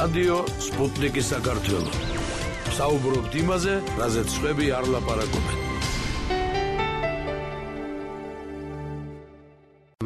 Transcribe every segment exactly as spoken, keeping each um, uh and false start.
რადიო სპუტნიკის საქართველო. საუბრობთ იმაზე, რაზეც სხვები არ ლაპარაკობენ.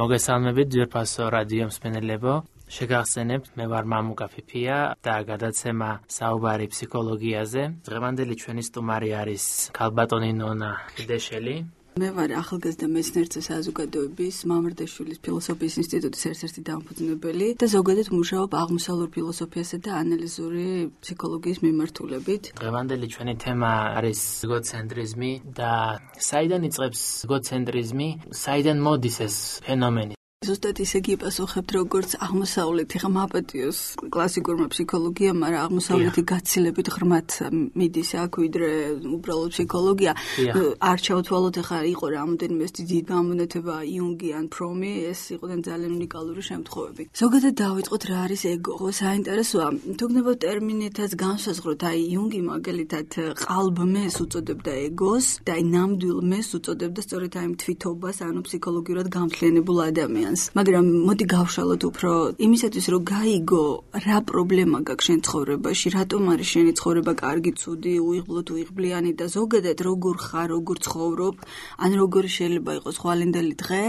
მოგესალმებით ძვირფასო რადიო მსმენელებო. შეგახსენებთ, მე ვარ მამუკა ფიფია და გადაცემა საუბარი ფსიქოლოგიაზე. დღევანდელი ჩვენი სტუმარი არის ქალბატონი ნონა ხიდეშელი. მე ვარ ახალგაზრდა მეცნიერთა საზოგადოების მამრდაშვილის ფილოსოფიის ინსტიტუტის ერთ-ერთი დამფუძნებელი და ზოგადად მუშაობ აღმოსავლურ ფილოსოფიასა და ანალიზური ფსიქოლოგიის მიმართულებით. დღევანდელი ჩვენი თემა არის ეგოცენტრიზმი და საიდან იწყებს ეგოცენტრიზმი, საიდან მოდის ეს ფენომენი? ზუსტად ისე გიპასუხებთ, როგორც აღმოსავლეთი ხმაპატიოს კლასიკურმა ფსიქოლოგიამ, მაგრამ აღმოსავლეთი გაცილებით ღრმად მიდის აქ, ვიდრე უბრალოდ ფსიქოლოგია. არ ჩავთვალოთ, ახლა იყო რამოდენიმე დიდი გამონათება იუნგი ან ფრომი, ეს იყვნენ ძალიან უნიკალური შემთხვევები. ზოგადად დავიწყოთ, რა არის ეგო. საინტერესოა, თუ გნებავთ ტერმინითაც განსაზღვროთ, აი იუნგი მაგალითად ყალბმეს უწოდებდა ეგოს და აი ნამდვილ მეს უწოდებდა სწორედ აი თვითობას, ანუ ფსიქოლოგიურად გამთლიანებულ ადამიანს. მაგრამ მოდი გავშალოთ უფრო იმისათვის, რომ გაიგო რა პრობლემა გაქვს შენ ცხოვრებაში, რატომ არის შენი ცხოვრება კარგი, ცუდი, უიღბლო თუ უიღბლიანი და ზოგადად როგორ ხარ, როგორ ცხოვრობ, ან როგორი შეიძლება იყოს ხვალინდელი დღე,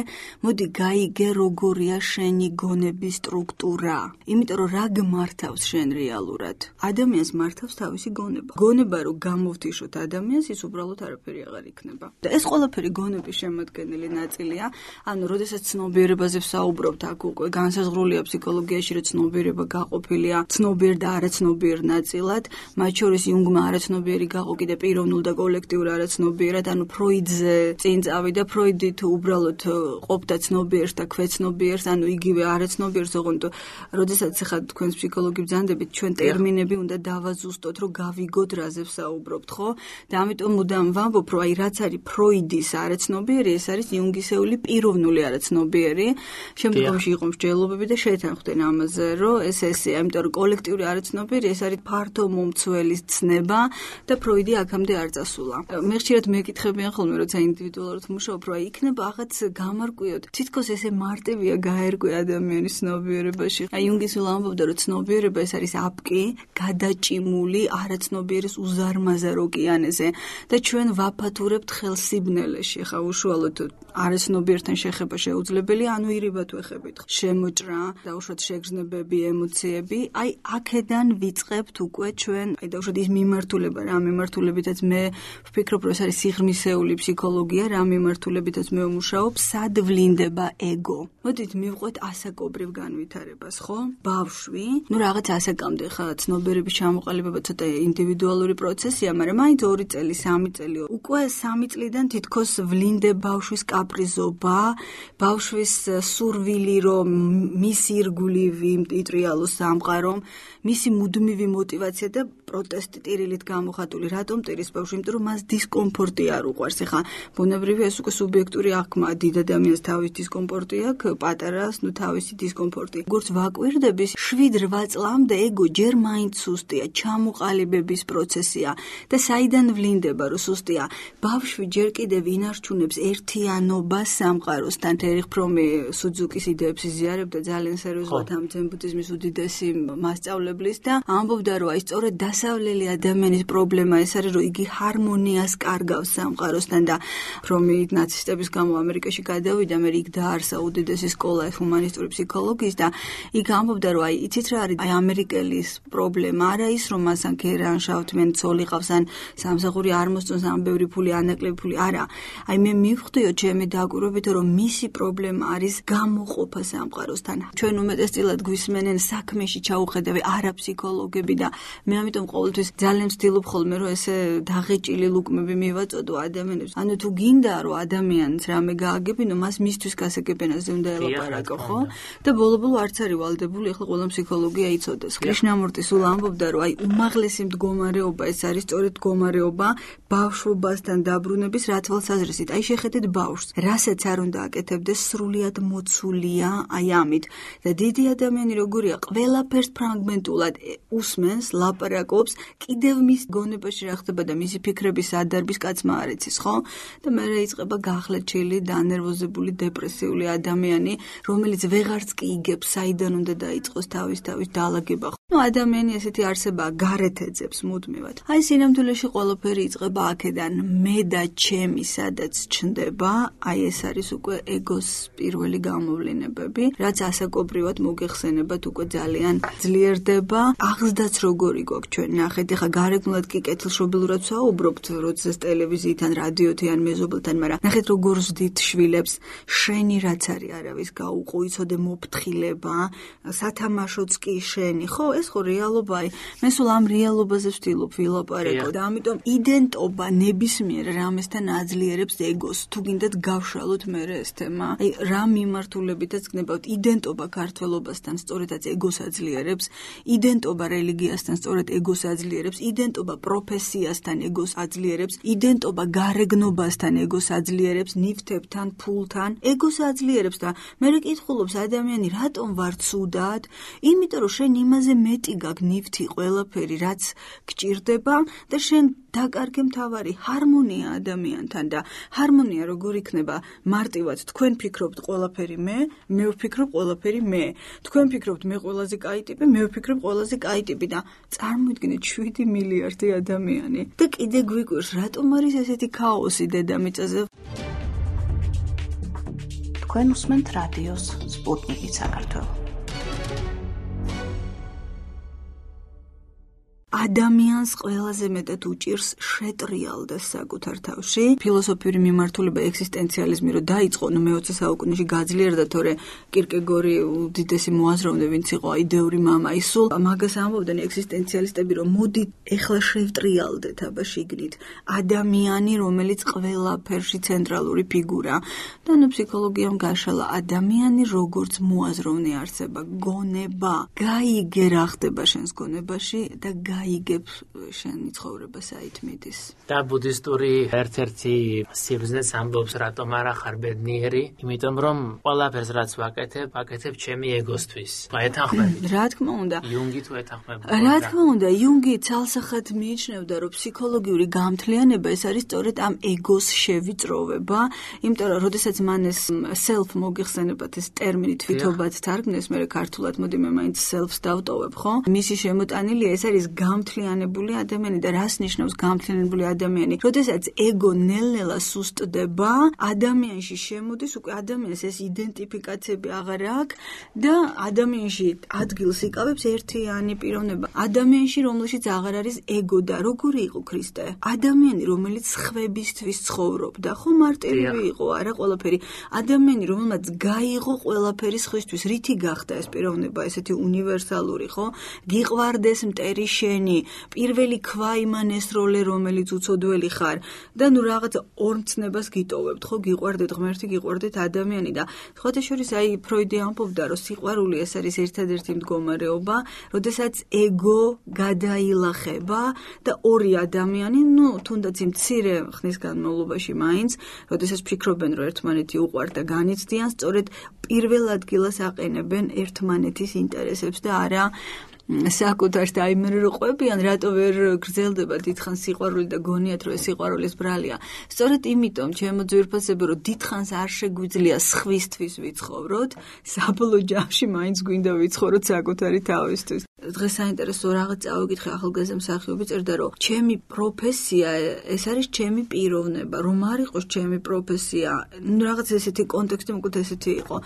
მოდი გაიგე როგორია შენი გონების სტრუქტურა. იმიტომ რომ რა გმართავს შენ რეალურად? ადამიანს მართავს თავისი გონება. გონება რომ გამოვთიშოთ ადამიანს, ის უბრალოდ არაფერი აღარ იქნება. და ეს ყველაფერი გონების შემადგენელი ნაწილია, ანუ როდესაც ცნობიერება ვსაუბრობთ, აქ უკვე განსაზღვრულია ფსიქოლოგიაში, რომ ცნობიერება გაყოფილია ცნობიერ და არაცნობიერ ნაწილად, მათ შორის იუნგმა არაცნობიერი გაყო კიდე პიროვნულ და კოლექტიურ არაცნობიერად, ანუ ფროიდზე წინ წავიდა, ფროიდი თუ უბრალოდ ყოფდა ცნობიერს და ქვეცნობიერს, ანუ იგივე არაცნობიერს, ოღონდ როდესაც ახლა თქვენს ფსიქოლოგი ბრძანდებით, ჩვენ ტერმინები უნდა დავაზუსტოთ, რომ გავიგოთ რაზე ვსაუბრობთ, ხო? და ამიტომ მუდამ ვამბობ, რომ აი რაც არის ფროიდის არაცნობიერი, ეს არის იუნგისეული პიროვნული არაცნობიერი. შემდგომში იყო მსჯელობები და შეთანხმდნენ ამაზე, რომ ეს ესეა, იმიტომ რომ კოლექტიური არაცნობიერი ეს არის ფართო მომცველის ცნება და ფროიდი აქამდე არ წასულა. მე ხშირად მეკითხებიან ხოლმე, როცა ინდივიდუალურად მუშაობ, რომ აი იქნება რაღაც გამარკვიოთ. თითქოს ესე მარტივია გაერკვე ადამიანის ცნობიერებაში. აი იუნგი სულ ამბობდა, რომ ცნობიერება ეს არის აპკი, გადაჭიმული არაცნობიერის უზარმაზარ ოკეანეზე და ჩვენ ვაფათურებთ ხელსიბნელეში. ხა უშუალოდ არაცნობიერთან შეხება შეუძლებელია, ანუ ირიბად ვეხებით. შემოჭრა, დაუშვათ შეგრძნებები, ემოციები, აი აქედან ვიწყებთ უკვე ჩვენ, აი დაუშვათ ის მიმართულება, რა მიმართულებითაც მე ვფიქრობ, რომ ეს არის სიღრმისეული ფსიქოლოგია, რა მიმართულებითაც მე ვმუშაობ, სად ვლინდება ეგო. მოდით მივყვეთ ასაკობრივ განვითარებას, ხო? ბავშვი, ნუ რაღაც ასაკამდე ხა ცნობიერების ჩამოყალიბება ცოტა ინდივიდუალური პროცესია, მაგრამ მაინც ორი წელი, სამი წელი, უკვე სამი წლიდან თითქოს ვლინდება ბავშვის კაპრიზობა, ბავშვის სურვილი, რომ მისი ირგვლივი იმტრიალოს სამყარომ, მისი მუდმივი мотиваცია და პროტესტი ტირილით გამოხატული. რატომ ტირის ბავშვი? იმიტომ რომ მას დისკომფორტი არ უყვარს. ეხა ბუნებრივია ეს უკვე სუბიექტური აღქმა, დიდ ადამიანს თავის დისკომფორტი აქვს, პატარას ნუ თავისი დისკომფორტი. როგორც ვაკვირდები, შვიდ რვა წლამდე ეგო ჯერ მაინც სუსტია, ჩამოყალიბების პროცესია და საიდან ვლინდება, რომ სუსტია? ბავშვი ჯერ კიდევ ინარჩუნებს ერთიანობას სამყაროსთან. ერიხ ფრომი სუძუკის იდეებს იზიარებდა ძალიან სერიოზულად ამ ძენ ბუდიზმის უდიდესი მასწავლებლის და ამბობდა, რომ აი სწორედ დასავლელი ადამიანის პრობლემა ეს არის, რომ იგი ჰარმონიას კარგავს სამყაროსთან და ფრომი ნაცისტების გამო ამერიკაში გადავიდა, მე იქ დაარსა უდიდესი სკოლა ჰუმანისტური ფსიქოლოგიის და იქ ამბობდა, რომ აი იცით რა არის აი ამერიკელის პრობლემა, არა ის, რომ მას ან ქერან შავთმენ ცოლი ყავს ან სამსახური არ მოსწონს, ან ბევრი ფული, ანაკლები ფული, არა. აი მე მივხვდიო ჩემი დაკვირვებით, რომ მისი პრობლემა არის გამოყოფა სამყაროსთან. ჩვენ უმეტესწილად გვისმენენ საქმეში ჩაუხედავი არა ფსიქოლოგები და მე ამიტომ ყოველთვის ძალიან ვცდილობ ხოლმე, რომ ესე დაღეჭილი ლუკმები მივაწოდო ადამიანებს. ანუ თუ გინდა, რომ ადამიანს რამე გააგებინო, მას მისთვის გასაგებენაზე უნდა ელაპარაკო, ხო? და ბოლო-ბოლო არც არის ვალდებული, ახლა ყველა ფსიქოლოგია იცოდეს. კრიშნამურტი სულ ამბობდა, რომ აი უმაღლესი მდგომარეობა ეს არის სწორედ მდგომარეობა ბავშვობასთან დაბრუნების რა თვალსაზრისით. აი შეხედეთ ბავშვს, რასაც არ უნდა აკეთებდეს, სრულიად შემოცულია აი ამით და დიდი ადამიანი როგორია ყველაფერს ფრაგმენტულად უსმენს, ლაპარაკობს, კიდევ მის გონებაში რა ხდება და მისი ფიქრების ადარბის კაცმა არ იცის, ხო? და მე იწყება გახლეჩილი, დანერვოზებული, დეპრესიული ადამიანი, რომელიც ვეღარც კი იგებს, საიდან უნდა დაიწყოს თავის თავის დაალაგება. ნუ ადამიანი ესეთი არსებაა, გარეთ ეძებს მუდმივად. აი სინამდვილეში ყველაფერი იწყება აქედან, მე და ჩემი სადაც ჩნდება, აი ეს არის უკვე ეგოს პირველი გამოვლენებები, რაც ასაკობრივად მოგეხსენებათ უკვე ძალიან ძლიერდება. აღზრდაც როგორი გვაქვს ჩვენ ნახეთ, ეხა გარეგნულად კი კეთილშობილურად ვსაუბრობთ, როდესაც ტელევიზიიდან, რადიოთი ან მეზობელთან, მაგრამ ნახეთ როგორ ვზდით შვილებს, შენი რაც არის არავის გაუყო, იცოდე მოფრთხილება, სათამაშოც კი შენი, ხო, ეს ხო რეალობაა. მე სულ ამ რეალობაზე ვთილობ ვილაპარაკო და ამიტომ იდენტობა ნებისმიერ რამესთან აძლიერებს ეგოს. თუ გინდათ გავშალოთ მე ეს თემა. აი რა მიმართულებითაც გნებავთ იდენტობა ქართველობასთან სწორედაც ეგოს აძლიერებს, იდენტობა რელიგიასთან სწორედ ეგოს აძლიერებს, იდენტობა პროფესიასთან ეგოს აძლიერებს, იდენტობა გარეგნობასთან ეგოს აძლიერებს, ნივთებთან, ფულთან ეგოს აძლიერებს და მე კითხულობს ადამიანი რატომ ვარ ცუდად? იმიტომ რომ შენ იმაზე მეტი გაქვს ნივთი ყველაფერი რაც გჭირდება და შენ დაკარგე მთავარი ჰარმონია ადამიანთან და ჰარმონია როგორ იქნება მარტივად თქვენ ფიქრობთ ყველაფერი მე, მე ვფიქრობ ყველაფერი მე. თქვენ ფიქრობთ მე ყველაზე კაი ტიპი, მე ვფიქრობ ყველაზე კაი ტიპი და წარმოიდგინეთ შვიდი მილიარდი ადამიანი. და კიდე გვიკვირს რატომ არის ესეთი ქაოსი დედამიწაზე? თქვენ უსმენთ რადიოს სპუტნიკი საქართველო. ადამიანს ყველაზე მეტად უჭირს შეტრიალდეს საკუთარ თავში. ფილოსოფიური მიმართულება ექსისტენციალიზმი რო დაიწყო, ნუ მეოცე საუკუნეში გაძლიერდა, თორე კირკეგორი უდიდესი მოაზროვნე, ვინც იყო იდეური მამა, ისულ მაგას ამბობდნენ ექსისტენციალისტები, რომ მოდი ეხლა შევტრიალდეთ აბა შიგნით ადამიანი, რომელიც ყველაფერში ცენტრალური ფიგურა. და ნუ ფსიქოლოგიამ გაშალა ადამიანი როგორც მოაზროვნე არსება, გონება. გაიგე რა ხდება შენს გონებაში და გაიგებ შენი ცხოვრება საით მიდის. და ბუდისტური ერთ-ერთი სიბრძნეც ამბობს, რატომ არ ახარ ბედნიერი, იმიტომ რომ ყველაფერს რაც ვაკეთებ, ვაკეთებ ჩემი ეგოსთვის. ეთანხმებით. რა თქმა უნდა. იუნგი თუ ეთანხმებოდა. რა თქმა უნდა, იუნგი ცალსახად მიიჩნევდა, რომ ფსიქოლოგიური გამთლიანება ეს არის სწორედ ამ ეგოს შევიწროვება, იმიტომ რომ როდესაც მან ეს self მოგიხსენებათ ეს ტერმინი თვითობაც თარგმნეს, მე ქართულად მოდი მე მაინც self-ს დავტოვებ, ხო? მისი შემოტანილია ეს არის გამთლიანებული ადამიანი და რას ნიშნავს გამთლიანებული ადამიანი? როდესაც ეგო ნელ-ნელა სუსტდება, ადამიანში შემოდის უკვე ადამიანს ეს იდენტიფიკაციები აღარ აქვს და ადამიანში ადგილს იკავებს ერთიანი პიროვნება. ადამიანში რომელშიც აღარ არის ეგო და როგორი იყო ქრისტე? ადამიანი რომელიც სხვებისთვის ცხოვრობდა, ხო მარტივი იყო, არა ყველაფერი. ადამიანი რომელმაც გაიღო ყველაფერი სხვისთვის, რითი გახდა ეს პიროვნება, ესეთი უნივერსალური, ხო? გიყვარდეს მტერი შენი, პირველი ქვა იმან ესროლე, რომელიც უცოდველი ხარ და ნუ რაღაცა ორმცნებას გიტოვებთ, ხო, გიყვარდეთ ღმერთი, გიყვარდეთ ადამიანი და სხვათა შორის აი ფროიდი ამბობდა, რომ სიყვარული ეს არის ერთადერთი მდგომარეობა, როდესაც ეგო გადაილახება და ორი ადამიანი, ნუ თუნდაც იმ მცირე ხნის განმავლობაში მაინც, როდესაც ფიქრობენ, რომ ერთმანეთი უყვართ და განიცდიან, სწორედ პირველ ადგილას აყენებენ ერთმანეთის ინტერესებს და არა საკუთარს და აი მე რო ყვებიან, რატო ვერ გრძელდება დიდხანს სიყვარული და გონიათ, რომ ეს სიყვარულის ბრალია. სწორედ იმიტომ, ჩემო ძვირფასებო, რომ დიდხანს არ შეგვიძლია სხვისთვის ვიცხოვროთ, საბოლოო ჯამში მაინც გვინდა ვიცხოვროთ საკუთარი თავისთვის. დღეს საინტერესო რაღაც წავიკითხე ახალგაზრდა მსახიობი წერდა, რომ ჩემი პროფესია ეს არის ჩემი პიროვნება, რომ არ იყოს ჩემი პროფესია. ნუ რაღაც ესეთი კონტექსტი მოკლედ ესეთი იყო.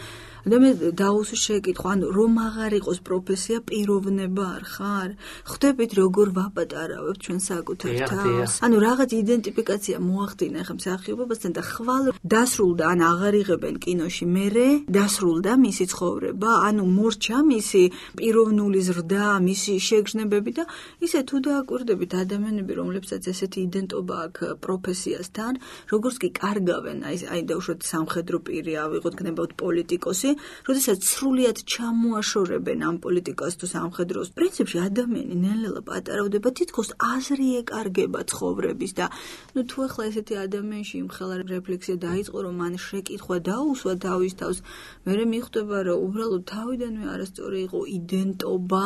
და მე დაუსვი შეკითხვა, ანუ რომ აღარ იყოს პროფესია, პიროვნება არ ხარ? ხვდებით როგორ ვაპატარავებ ჩვენ საკუთარ თავს? ანუ რაღაც იდენტიფიკაცია მოახდინა ხა მსახიობობასთან და ხვალ დასრულდა, ან აღარ იღებენ კინოში მერე, დასრულდა მისი ცხოვრება, ანუ მორჩა მისი პიროვნული ზრდა, მისი შეგრძნებები და ისე თუ დააკვირდებით ადამიანები, რომლებსაც ესეთი იდენტობა აქვს პროფესიასთან, როგორც კი კარგავენ, აი აი დაუშვათ სამხედრო პირი, ავიღოთ გნებავთ პოლიტიკოსი, როდესაც სრულიად ჩამოაშორებენ ამ პოლიტიკას თუ სამხედროს, პრინციპში ადამიანი ნელ-ნელა პატარავდება, თითქოს აზრი ეკარგება ცხოვრების და ნუ თუ ახლა ესეთი ადამიანში იმხელა რეფლექსია დაიწყო, რომ მან შეკითხვა დაუსვა თავის თავს, მერე მიხვდება, რომ უბრალოდ თავიდანვე არასწორი იყო იდენტობა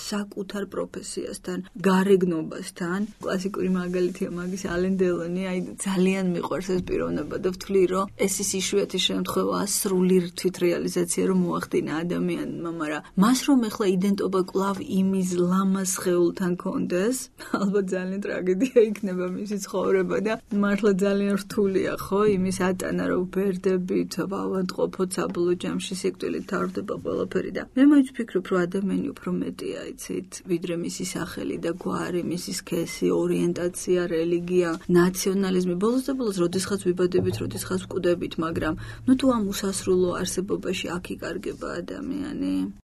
საკუთარ პროფესიასთან, გარეგნობასთან. კლასიკური მაგალითია მაგის ალენ დელონი, აი ძალიან მიყვარს ეს პიროვნება და ვთვლი, რომ ეს ის იშვიათი შემთხვევაა სრული თვითრეალიზაცია, რომ მოახდინა ადამიანმა, მაგრამ მას რომ ეხლა იდენტობა კვლავ იმის ლამაზ სხეულთან კონდეს, ალბათ ძალიან ტრაგედია იქნება მისი ცხოვრება და მართლა ძალიან რთულია, ხო, იმის ატანა, რომ ბერდებით, ავადმყოფოთ საბოლოო ჯამში სიკვდილით თავდება ყველაფერი და მე მაინც ვფიქრობ, რომ ადამიანი უფრო მეტია, იცით, ვიდრე მისი სახელი და გვარი, მისი სქესი, ორიენტაცია, რელიგია, ნაციონალიზმი. ბოლოს და ბოლოს, როდესაც ვიბადებით, როდესაც ვკვდებით, მაგრამ ნუ თუ ამ უსასრულო არსებობაში აქ იკარგება ადამიანი.